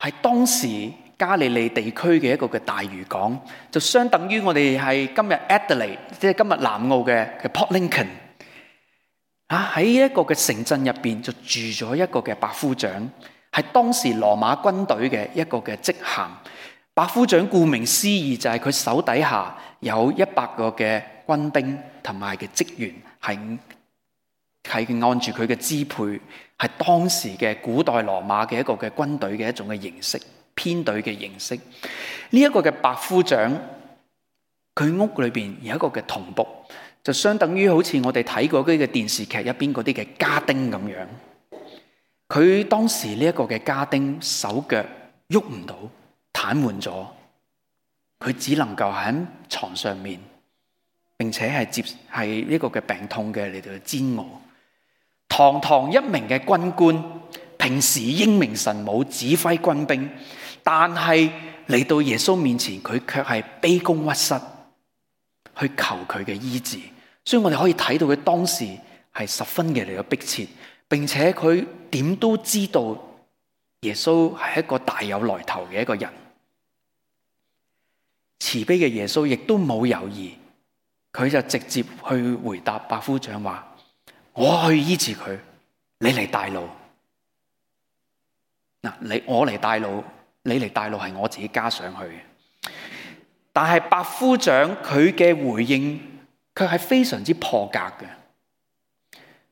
係當時加利利地區嘅一個嘅大漁港，就相等於我哋係今日 Adelaide， 即係今日南澳嘅 Port Lincoln。喺一個嘅城鎮入邊就住咗一個嘅百夫長，係當時羅馬軍隊嘅一個嘅職銜。百夫長顧名思義就係佢手底下有100個嘅軍兵同埋嘅職員，係按住佢嘅支配，係當時嘅古代羅馬嘅一個嘅軍隊嘅一種嘅形式，編隊嘅形式。呢一個嘅百夫長，佢屋裏邊有一個嘅童僕，就相等於好似我哋睇過嗰啲嘅電視劇入邊嗰啲嘅家丁咁樣。佢當時呢一個嘅家丁手腳喐唔到，癱瘓咗，佢只能夠喺床上面，並且係呢個嘅病痛嘅嚟到煎熬。堂堂一名嘅軍官，平時英明神武，指揮軍兵，但係嚟到耶穌面前，佢卻係卑躬屈膝去求佢嘅醫治。所以我哋可以睇到佢當時係十分嘅嚟到迫切，並且佢點都知道耶穌係一個大有來頭嘅一個人。慈悲嘅耶穌亦都冇猶豫，佢就直接去回答百夫長話：我去醫治佢，你嚟帶路。我嚟帶路，你嚟帶路係我自己加上去嘅。但係百夫長佢嘅回應卻係非常之破格嘅。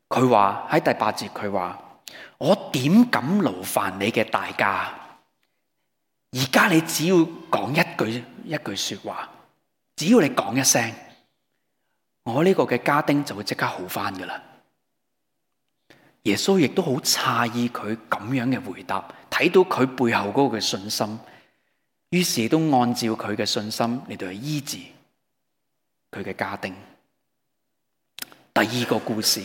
佢話喺第8節，佢話：我點敢勞煩你嘅大駕？而家你只要講一句說話，只要你講一聲，我呢個嘅家丁就會即刻好翻噶啦。耶穌亦都好詫異佢咁樣嘅回答，睇到佢背後嗰個嘅信心，於是都按照佢嘅信心嚟到去醫治佢嘅家丁。第2個故事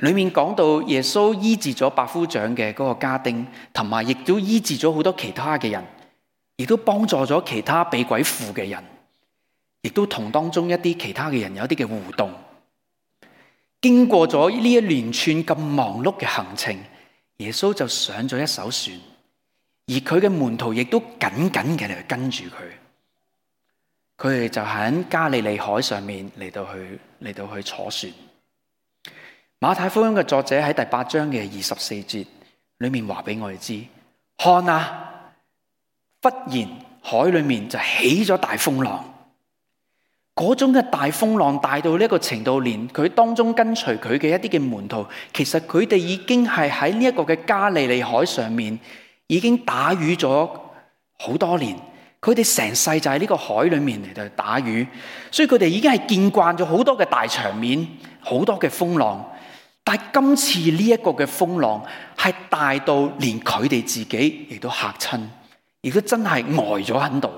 裏面講到耶穌醫治咗百夫長嘅嗰個家丁，同埋亦都醫治咗好多其他嘅人，亦都幫助咗其他被鬼附嘅人，亦都同當中一啲其他嘅人有一啲嘅互動。經過咗呢一連串咁忙碌嘅行程，耶穌就上咗一艘船，而佢嘅門徒亦都緊緊嘅嚟跟住佢。佢哋就喺加利利海上面嚟到去坐船。馬太福音嘅作者喺第8章嘅24節裏面話俾我哋知：看啊，忽然海裏面就起咗大風浪。嗰種嘅大風浪大到呢一個程度，連佢當中跟隨佢嘅一啲嘅門徒，其實佢哋已經係喺呢一個嘅加利利海上面已經打魚咗好多年。佢哋成世就喺呢個海裏面嚟到打魚，所以佢哋已經係見慣咗好多嘅大場面，好多嘅風浪。但係今次呢一個嘅風浪係大到連佢哋自己亦都嚇親，亦都真係呆咗喺度。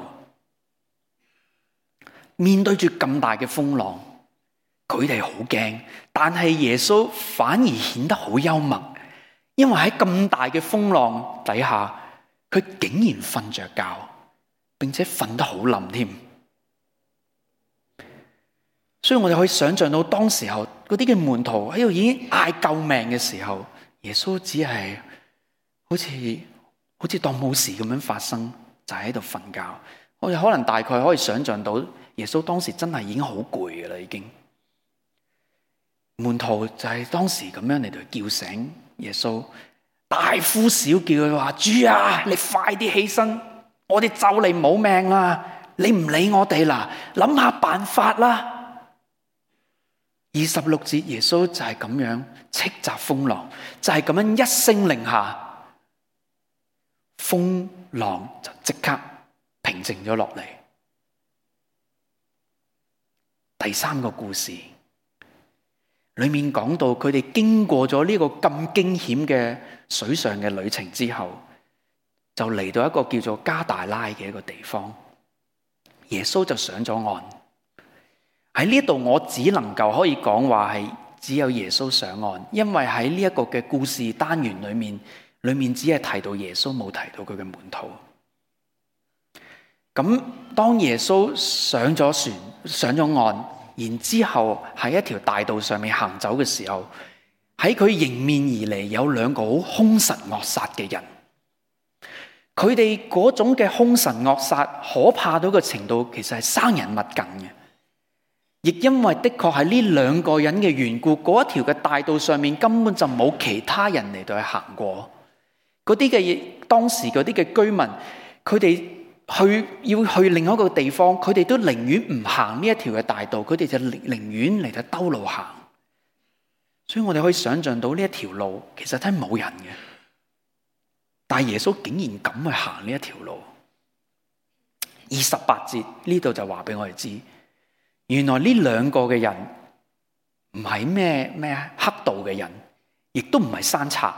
面對住咁大嘅風浪，佢哋好驚，但係耶穌反而顯得好幽默，因為喺咁大嘅風浪底下，佢竟然瞓着覺，並且瞓得好冧添。所以我哋可以想象到當時候嗰啲嘅門徒喺度已經嗌救命嘅時候，耶穌只係好似當冇事咁樣發生，就喺度瞓覺。我哋可能大概可以想象到耶穌當時真係已經好攰嘅啦，已經。門徒就係當時咁樣嚟到叫醒耶穌，大呼小叫佢話：主啊，你快啲起身，我哋就嚟冇命啦！你唔理我哋啦，諗下辦法啦。26節，耶穌就係咁樣斥責風浪，就係咁樣一聲令下，風浪就即刻平靜咗落嚟。第3個故事裏面講到，佢哋經過咗呢個咁驚險嘅水上嘅旅程之後，就嚟到一個叫做加大拉嘅一個地方。耶穌就上咗岸。喺呢度我只能夠可以講話係只有耶穌上岸，因為喺呢一個嘅故事單元裏面只係提到耶穌，冇提到佢嘅門徒。咁當耶穌上咗船，上咗岸，然之後喺一條大道上面行走嘅時候，喺佢迎面而嚟有2個好兇神惡煞嘅人。佢哋嗰種嘅兇神惡煞可怕到嘅程度，其實係生人勿近嘅。亦因為的確係呢兩個人嘅緣故，嗰一條嘅大道上面根本就冇其他人嚟到去行過。嗰啲嘅當時嗰啲嘅居民，佢哋要去另一個地方，佢哋都寧願唔行呢一條嘅大道，佢哋就寧願嚟到兜路行。所以我哋可以想象到呢一條路其實真係冇人嘅，但係耶穌竟然敢去行呢一條路。28節呢度就話俾我哋知，原來呢兩個嘅人唔係咩黑道嘅人，亦都唔係山賊，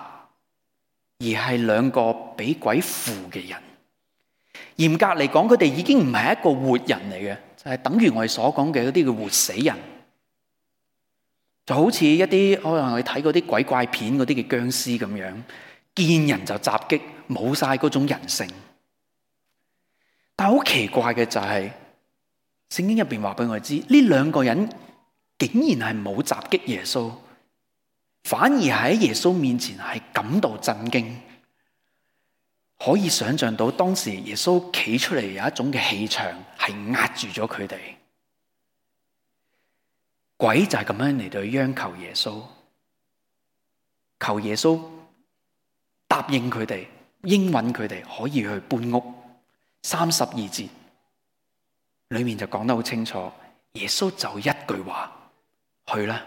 而係兩個俾鬼附嘅人。嚴格嚟講，佢哋已經唔係一個活人嚟嘅，就係等於我哋所講嘅嗰啲叫活死人，就好似一啲可能我哋睇嗰啲鬼怪片嗰啲嘅僵屍咁樣，見人就襲擊，冇晒嗰種人性。但係好奇怪嘅就係，聖經入邊話俾我哋知，呢兩個人竟然係冇襲擊耶穌，反而喺耶穌面前係感到震驚。可以想象到當時耶穌企出嚟有一種嘅氣場係壓住咗佢哋，鬼就係咁樣嚟到央求耶穌，求耶穌答應佢哋，應允佢哋可以去搬屋。32節裏面就講得好清楚，耶穌就一句話，去啦，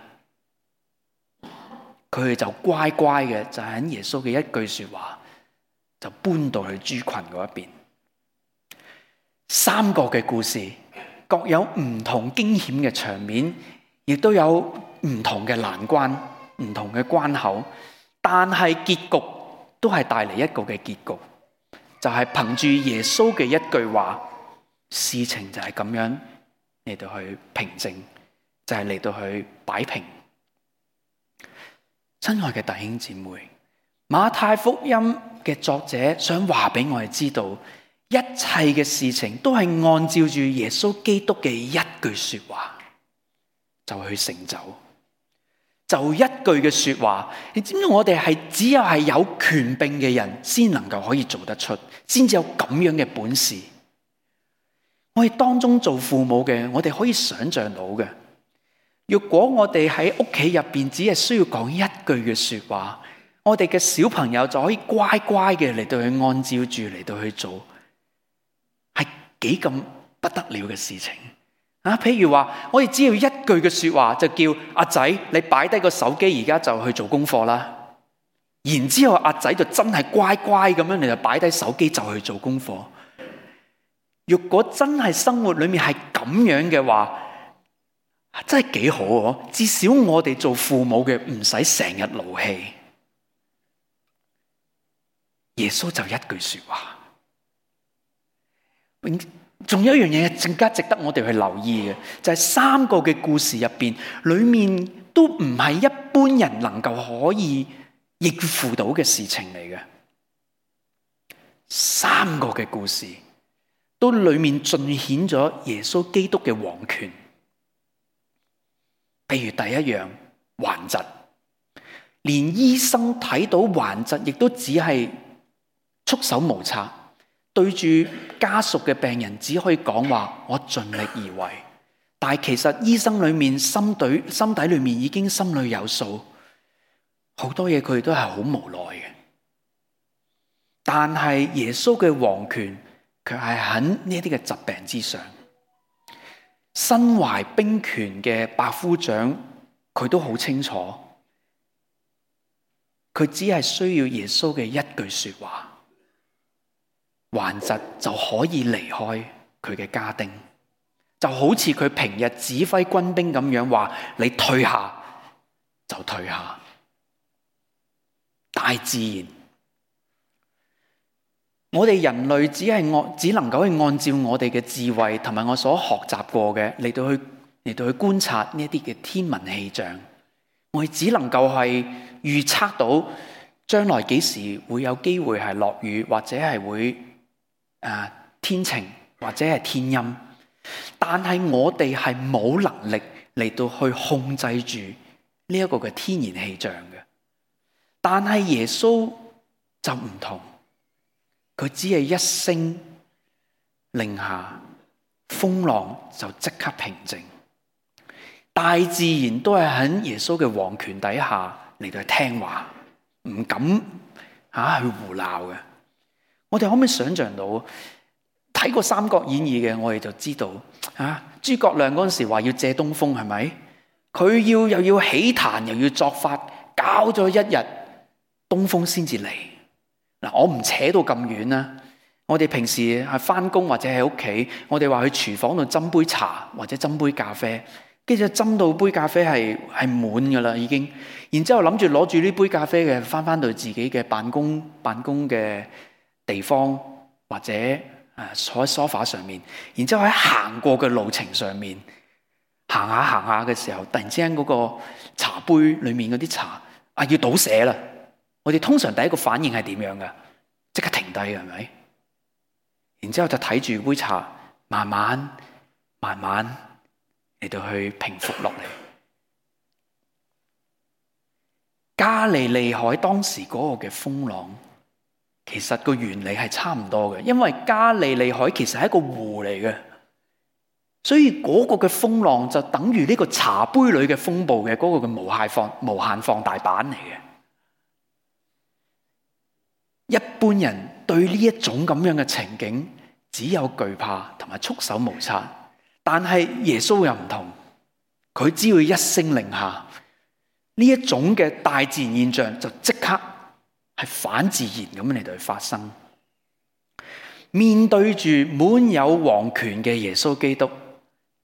佢哋就乖乖嘅就喺耶穌嘅一句說話就搬到去豬群嗰一邊。三個嘅故事各有唔同驚險嘅場面，亦都有唔同嘅難關、唔同嘅關口，但係結局都係帶嚟一個嘅結局，就係憑住耶穌嘅一句話，事情就係咁樣嚟到去平靜，就係嚟到去擺平。親愛嘅弟兄姊妹，馬太福音嘅作者想話俾我哋知道，一切嘅事情都係按照住耶穌基督嘅一句說話就去成就。就一句嘅說話，你知唔知我哋係只有係有權柄嘅人先能夠可以做得出，先至有咁樣嘅本事。我哋當中做父母嘅，我哋可以想象到嘅，如果我哋喺屋企入邊只係需要講一句嘅說話，我哋嘅小朋友就可以乖乖嘅嚟到去按照住嚟到去做，係幾咁不得了嘅事情啊！譬如話，我哋只要一句嘅說話，就叫阿仔你擺低個手機，而家就去做功課啦。然之後阿仔就真係乖乖咁樣，你就擺低手機就去做功課。如果真係生活裏面係咁樣嘅話，真係幾好喎！至少我哋做父母嘅唔使成日勞氣。耶穌就一句說話，仲有一樣嘢更加值得我哋去留意嘅，就係三個嘅故事入邊，裏面都唔係一般人能夠可以應付到嘅事情嚟嘅。三個嘅故事都裏面盡顯咗耶穌基督嘅王權。譬如第一樣，患疾，連醫生睇到患疾，亦都只係束手無策，對住家屬嘅病人只可以講話我盡力而為，但係其實醫生裏面心底裏面已經心裏有數，好多嘢佢哋都係好無奈嘅。但係耶穌嘅王權卻係喺呢啲嘅疾病之上。身懷兵權嘅百夫長，佢都好清楚，佢只係需要耶穌嘅一句說話，患疾就可以離開佢嘅家丁，就好似佢平日指揮軍兵咁樣話，你退下就退下。大自然，我哋人類只能夠去按照我哋嘅智慧同埋我所學習過嘅嚟到去觀察呢一啲嘅天文氣象，我哋只能夠係預測到將來幾時會有機會係落雨，或者係會天晴或者係天陰，但係我哋係冇能力嚟到去控制住呢一個嘅天然氣象嘅。但係耶穌就唔同。佢只係一聲令下，風浪就即刻平靜。大自然都係喺耶穌嘅王權底下嚟到去聽話，唔敢去胡鬧嘅。我哋可唔可以想象到睇過《三國演義》嘅，我哋就知道諸葛亮嗰陣時話要借東風，係咪？佢又要起壇，又要作法，搞咗一日，東風先至嚟。嗱，我唔扯到咁遠啦。我哋平時係翻工或者喺屋企，我哋話去廚房度斟杯茶或者斟杯咖啡，跟住斟到杯咖啡係滿噶啦已經，然之後諗住攞住呢杯咖啡嘅翻到自己嘅辦公嘅地方，或者坐喺梳化上面，然之後喺行過嘅路程上面行下嘅時候，突然之間嗰個茶杯裏面嗰啲茶要倒瀉啦。我哋通常第一個反應係點樣噶？即刻停低嘅，係咪？然之後就睇住杯茶慢慢嚟到去平復落嚟。加利利海當時嗰個嘅風浪，其實個原理係差唔多嘅，因為加利利海其實係一個湖嚟嘅，所以嗰個嘅風浪就等於呢個茶杯裏嘅風暴嘅嗰個嘅無限放大版嚟嘅。一般人對呢一種咁樣嘅情景只有懼怕同埋束手無策，但係耶穌又唔同，佢只要一聲令下，呢一種嘅大自然現象就即刻係反自然咁嚟到去發生。面對住滿有王權嘅耶穌基督，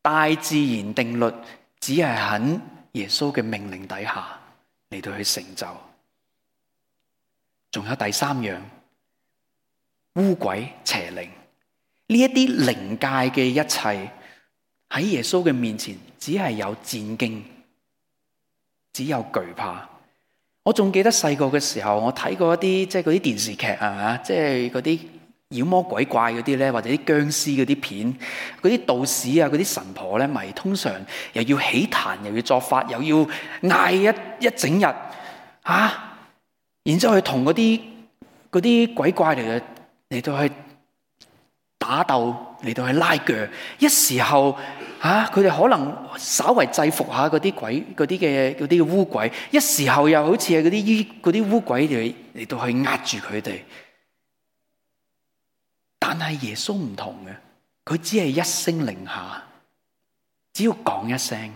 大自然定律只係喺耶穌嘅命令底下嚟到去成就。仲有第三樣，污鬼邪靈，呢一啲靈界嘅一切喺耶穌嘅面前，只係有戰驚，只有懼怕。我仲記得細個嘅時候，我睇過一啲即係嗰啲電視劇啊，即係嗰啲妖魔鬼怪嗰啲咧，或者啲僵屍嗰啲片，嗰啲道士啊，嗰啲神婆咧，咪通常又要起壇，又要作法，又要嗌一整日然之後去同嗰啲鬼怪嚟到去打鬥，嚟到去拉鋸。一時候佢哋可能稍為制服下嗰啲嘅污鬼，一時候又好似係嗰啲污鬼嚟到去壓住佢哋。但係耶穌唔同嘅，佢只係一聲令下，只要講一聲。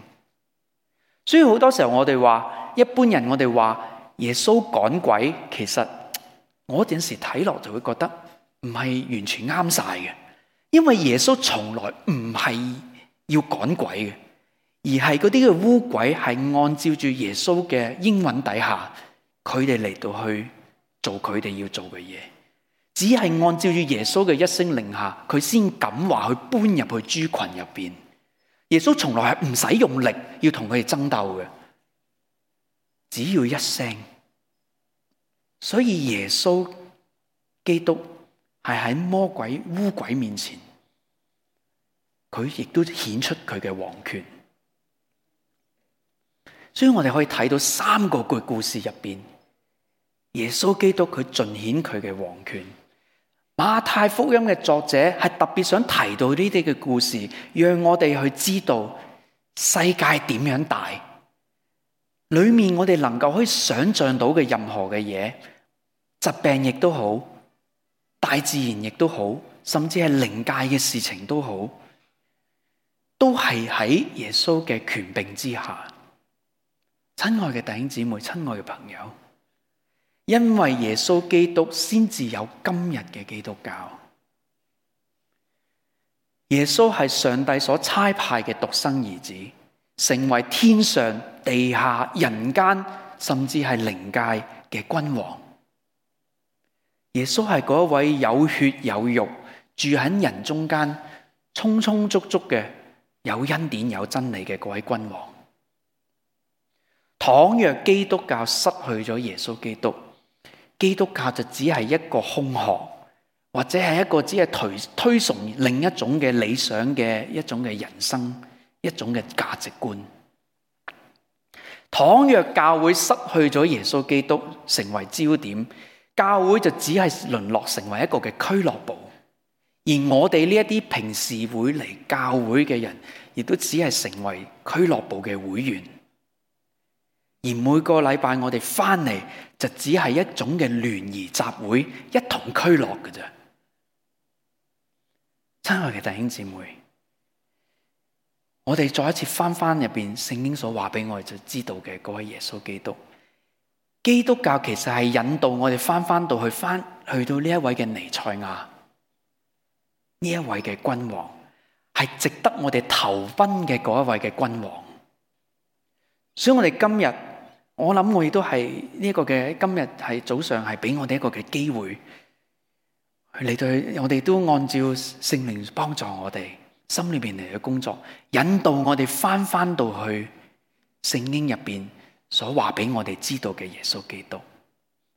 所以好多時候我哋話，一般人我哋話耶穌趕鬼，其實我有陣時睇落就會覺得唔係完全啱晒嘅，因為耶穌從來唔係要趕鬼嘅，而係嗰啲嘅污鬼係按照住耶穌嘅應允底下，佢哋嚟到去做佢哋要做嘅嘢，只係按照住耶穌嘅一聲令下，佢先敢話去搬入去豬群入邊。耶穌從來係唔使用力要同佢哋爭鬥嘅，只要一聲。所以耶穌基督係喺魔鬼污鬼面前，佢亦都顯出佢嘅王權。所以我哋可以睇到三個故事入邊，耶穌基督佢盡顯佢嘅王權。馬太福音嘅作者係特別想提到呢啲嘅故事，讓我哋去知道世界點樣大，裏面我哋能夠可以想象到嘅任何嘅嘢，疾病亦都好，大自然亦都好，甚至係靈界嘅事情都好，都係喺耶穌嘅權柄之下。親愛嘅弟兄姊妹，親愛嘅朋友，因為耶穌基督先至有今日嘅基督教。耶穌係上帝所差派嘅獨生兒子，成為天上地下人間甚至係靈界嘅君王。耶穌係嗰一位有血有肉住喺人中間充充足足嘅有恩典有真理嘅嗰位君王。倘若基督教失去咗耶穌基督，基督教就只係一個空殼，或者係一個只係推崇另一種嘅理想嘅一種嘅人生，一種嘅價值觀。倘若教會失去咗耶穌基督成為焦點，教會就只係淪落成為一個嘅俱樂部，而我哋呢一啲平時會嚟教會嘅人，亦都只係成為俱樂部嘅會員。而每個禮拜我哋翻嚟就只係一種嘅聯誼集會，一同俱樂嘅啫。親愛嘅弟兄姊妹，我哋再一次翻入邊聖經所話俾我哋就知道嘅嗰位耶穌基督。基督教其實係引導我哋翻到去到呢一位嘅彌賽亞，呢一位嘅君王，係值得我哋投奔嘅嗰一位嘅君王。所以我哋今日，我諗我亦都係呢一個嘅今日係早上係俾我哋一個嘅機會嚟到，我哋都按照聖靈幫助我哋心裏邊嚟嘅工作，引導我哋翻到去聖經入邊所話俾我哋知道嘅耶穌基督，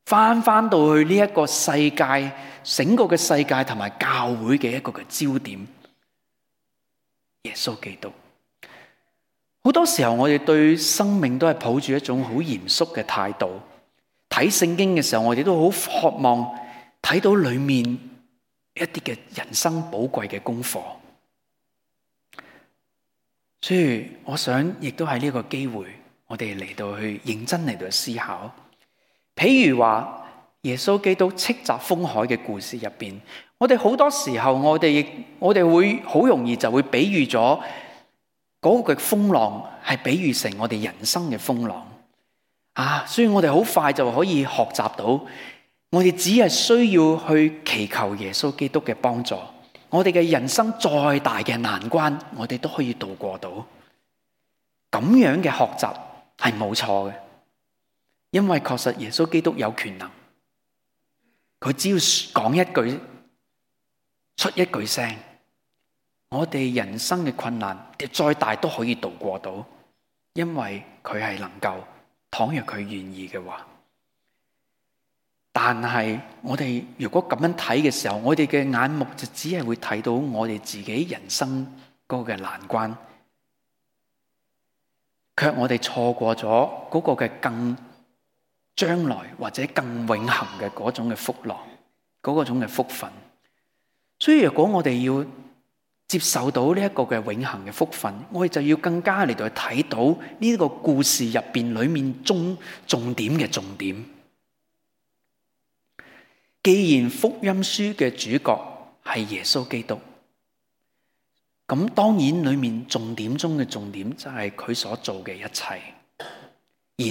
翻到去呢一個世界，整個嘅世界同埋教會嘅一個嘅焦點，耶穌基督。好多時候我哋對生命都係抱住一種好嚴肅嘅態度，睇聖經嘅時候我哋都好渴望睇到裏面一啲嘅人生寶貴嘅功課。所以我想亦都係呢個機會，我哋嚟到去認真嚟到思考。譬如話耶穌基督斥責風海嘅故事入邊，我哋好多時候我哋會好容易就會比喻咗嗰個風浪係比喻成我哋人生嘅風浪所以我哋好快就可以學習到，我哋只係需要去祈求耶穌基督嘅幫助，我哋嘅人生再大嘅難關，我哋都可以度過到。咁樣嘅學習係冇錯嘅，因為確實耶穌基督有權能，佢只要講一句，出一句聲，我哋人生嘅困難再大都可以度過到，因為佢係能夠，倘若佢願意嘅話。但係我哋如果咁樣睇嘅時候，我哋嘅眼目就只係會睇到我哋自己人生嗰個嘅難關，卻我哋錯過咗嗰個嘅更將來或者更永恆嘅嗰種嘅福樂，嗰種嘅福分。所以如果我哋要接受到呢一個嘅永恆嘅福分，我哋就要更加嚟到睇到呢個故事入邊裏面重點嘅重點。既然福音書嘅主角係耶穌基督，咁當然裏面重點中嘅重點就係佢所做嘅一切，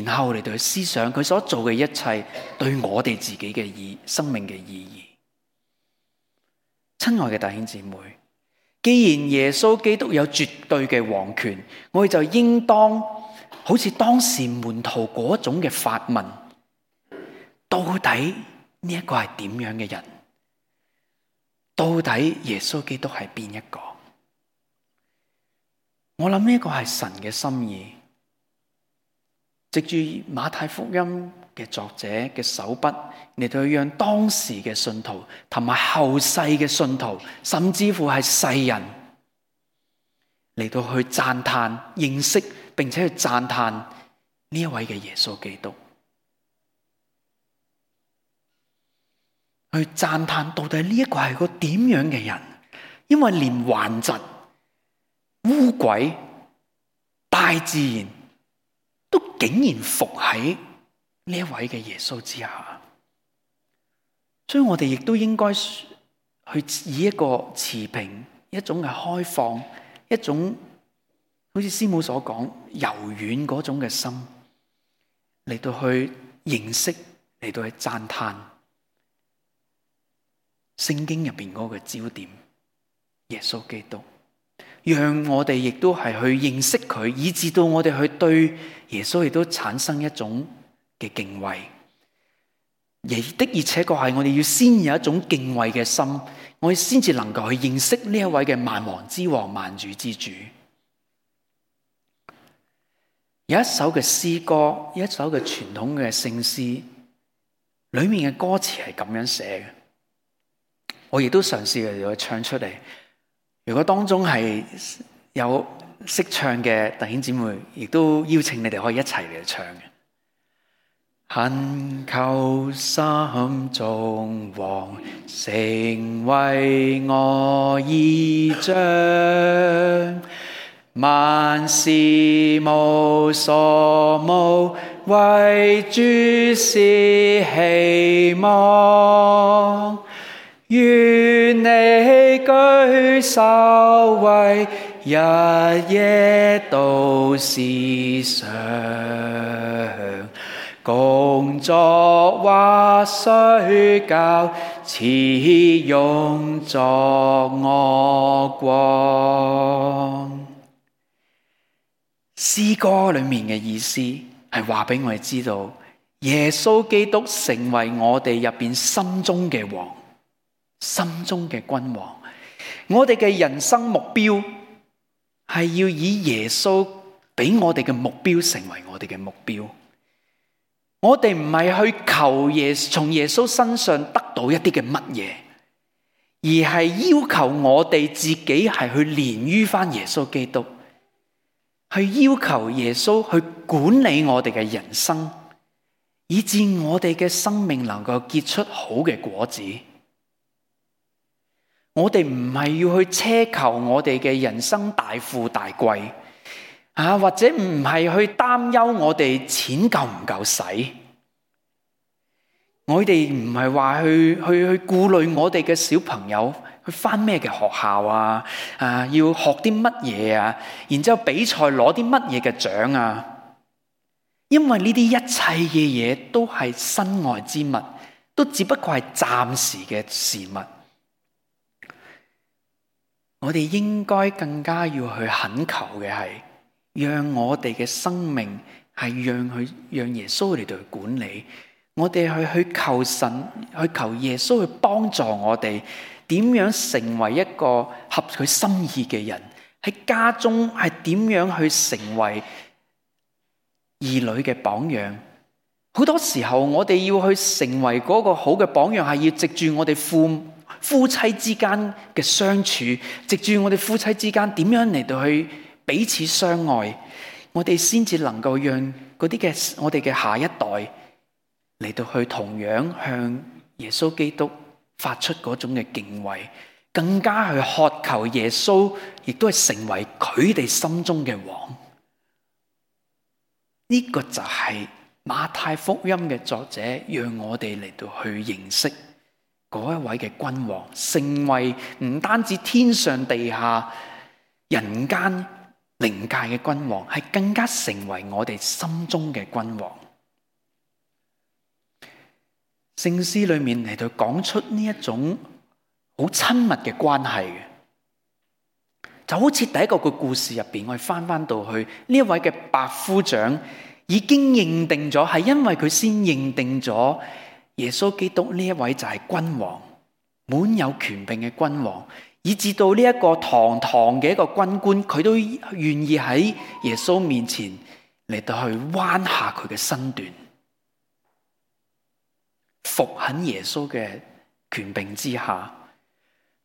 然後嚟到去思想佢所做嘅一切對我哋自己嘅生命嘅意義。親愛嘅弟兄姊妹，既然耶穌基督有絕對嘅王權，我哋就應當好似當時門徒嗰種嘅發問，到底呢一個係點樣嘅人？到底耶穌基督係邊一個？我諗呢個係神嘅心意，藉住馬太福音嘅作者嘅手筆嚟到讓當時嘅信徒同埋後世嘅信徒，甚至乎係世人嚟到去讚嘆、認識並且去讚嘆呢一位嘅耶穌基督。去讚嘆到底呢一個係個點樣嘅人？因為連頑疾、污鬼、大自然都竟然服喺呢一位嘅耶穌之下，所以我哋亦都應該去以一個持平、一種嘅開放、一種好似師母所講柔軟嗰種嘅心嚟到去認識，嚟到去讚嘆聖經入邊嗰個焦點耶穌基督，讓我哋亦都係去認識佢，以致到我哋去對耶穌亦都產生一種嘅敬畏。而且確係我哋要先有一種敬畏嘅心，我哋先至能夠去認識呢一位嘅萬王之王、萬主之主。有一首嘅詩歌，一首嘅傳統嘅聖詩，裏面嘅歌詞係咁樣寫嘅。我亦都嘗試嚟到唱出嚟。如果當中係有識唱嘅弟兄姊妹，亦都邀請你哋可以一齊嚟唱嘅。懇求心中王，成為我依仗。萬事無所慕，為主是希望。願你居首位，日夜都思想。工作或睡覺，此用作我光。詩歌裏面嘅意思係話俾我哋知道，耶穌基督成為我哋入邊心中嘅王，心中嘅君王。我哋嘅人生目標係要以耶穌俾我哋嘅目標成為我哋嘅目標。我哋唔係去求從耶穌身上得到一啲嘅乜嘢，而係要求我哋自己係去連於翻耶穌基督，去要求耶穌去管理我哋嘅人生，以致我哋嘅生命能夠結出好嘅果子。我哋唔係要去奢求我哋嘅人生大富大貴，或者唔係去擔憂我哋錢夠唔夠使。我哋唔係話去顧慮我哋嘅小朋友去返咩嘅學校要學啲乜嘢然之後比賽攞啲乜嘢嘅獎因為呢啲一切嘅嘢都係身外之物，都只不過係暫時嘅事物。我哋應該更加要去懇求嘅係，讓我哋嘅生命係讓耶穌嚟到去管理。我哋去求神，去求耶穌去幫助我哋，點樣成為一個合佢心意嘅人？喺家中係點樣去成為兒女嘅榜樣？好多時候我哋要去成為嗰個好嘅榜樣，係要藉住我哋夫妻之間嘅相處，藉住我哋夫妻之間點樣嚟到去彼此相愛，我哋先至能夠讓嗰啲嘅我哋嘅下一代嚟到去同樣向耶穌基督發出嗰種嘅敬畏，更加去渴求耶穌，亦都係成為佢哋心中嘅王。呢個就係馬太福音嘅作者讓我哋嚟到去認識嗰一位嘅君王，成為唔單止天上地下人間靈界嘅君王，係更加成為我哋心中嘅君王。聖詩裏面嚟到講出呢一種好親密嘅關係嘅，就好似第一個嘅故事入邊，我哋翻到去呢一位嘅百夫長已經認定咗，係因為佢先認定咗耶穌基督呢一位就係君王，滿有權柄嘅君王，以至到呢一個堂堂嘅一個軍官，佢都願意喺耶穌面前嚟到去彎下佢嘅身段，伏喺耶穌嘅權柄之下。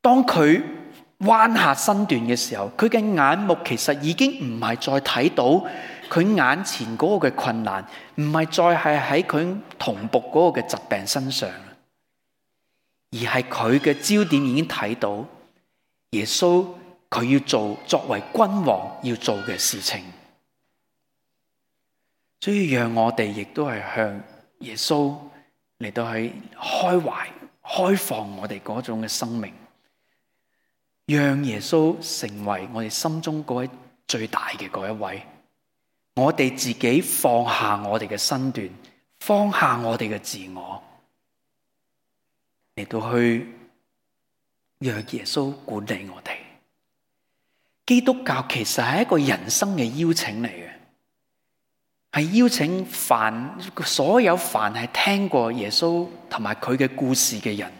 當佢彎下身段嘅時候，佢嘅眼目其實已經唔係再睇到佢眼前嗰個嘅困難，唔係再係喺佢同僕嗰個嘅疾病身上，而係佢嘅焦點已經睇到耶穌佢要作為君王要做嘅事情。所以讓我哋亦都係向耶穌嚟到去開懷開放我哋嗰種嘅生命，讓耶穌成為我哋心中嗰位最大嘅嗰一位。我哋自己放下我哋嘅身段，放下我哋嘅自我，嚟到去讓耶穌管理我哋。基督教其實係一個人生嘅邀請嚟嘅，係邀請所有凡係聽過耶穌同埋佢嘅故事嘅人，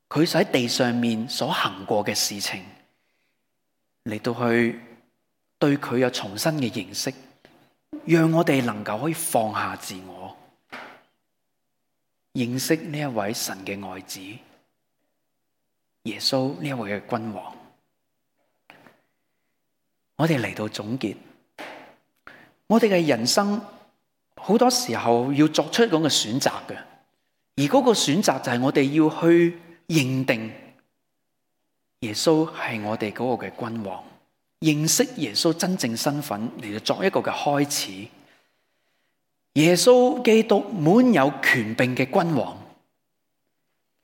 佢喺地上面所行過嘅事情，嚟到去對佢有重新嘅認識，讓我哋能夠可以放下自我，認識呢一位神嘅愛子耶穌，呢一位嘅君王。我哋嚟到總結，我哋嘅人生好多時候要作出一種嘅選擇嘅，而嗰個選擇就係我哋要去認定耶穌係我哋嗰個嘅君王，認識耶穌真正身份嚟到作一個嘅開始。耶穌基督滿有權柄嘅君王，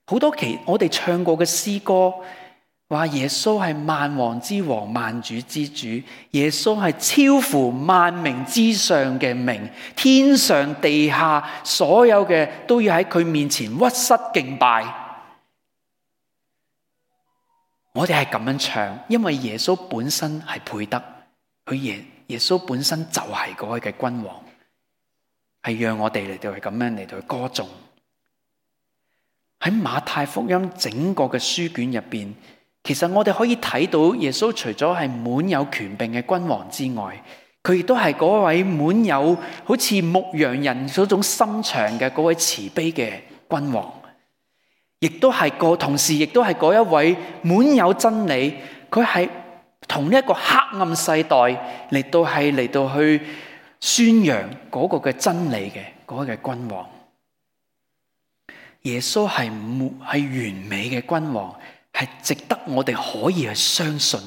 好多我哋唱過嘅詩歌話耶穌係萬王之王、萬主之主，耶穌係超乎萬名之上嘅名，天上地下所有嘅都要喺佢面前屈膝敬拜。我哋係咁樣唱，因為耶穌本身係配得，耶穌本身就係嗰位嘅君王，係讓我哋嚟到係咁樣嚟到去歌頌。喺馬太福音整個嘅書卷入邊，其實我哋可以睇到耶穌除咗係滿有權柄嘅君王之外，佢亦都係嗰位滿有好似牧羊人嗰種心腸嘅嗰位慈悲嘅君王，亦都係同時亦都係嗰一位滿有真理，佢係同呢一個黑暗世代嚟到去宣揚嗰個嘅真理嘅嗰位嘅君王。耶穌係完美嘅君王，係值得我哋可以去相信，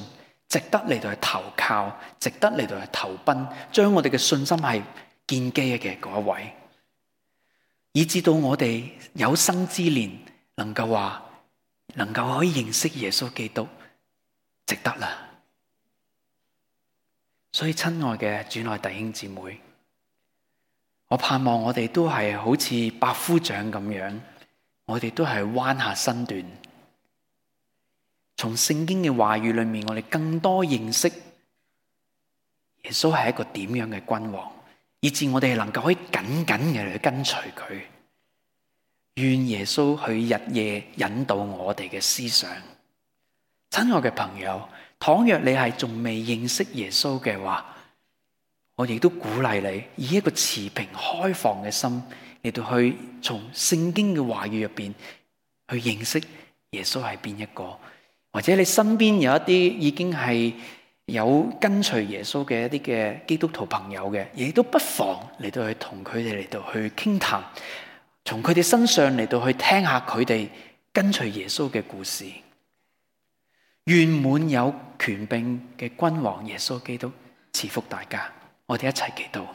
值得嚟到去投靠，值得嚟到去投奔，將我哋嘅信心係建基嘅嗰一位，以至到我哋有生之年能夠可以認識耶穌基督，值得啦。所以親愛嘅主內弟兄姊妹，我盼望我哋都係好似百夫長咁樣，我哋都係彎下身段，從聖經嘅話語裏面，我哋更多認識耶穌係一個點樣嘅君王，以致我哋能夠可以緊緊嘅去跟隨佢。願耶穌去日夜引導我哋嘅思想。親愛嘅朋友，倘若你係仲未認識耶穌嘅話，我亦都鼓勵你以一個持平開放嘅心嚟到去從聖經嘅話語入邊去認識耶穌係邊一個，或者你身邊有一啲已經係有跟隨耶穌嘅一啲嘅基督徒朋友嘅，亦都不妨嚟到去同佢哋嚟到去傾談，從佢哋身上嚟到去聽下佢哋跟隨耶穌嘅故事。願滿有權柄嘅君王耶穌基督賜福大家，我哋一齊祈禱。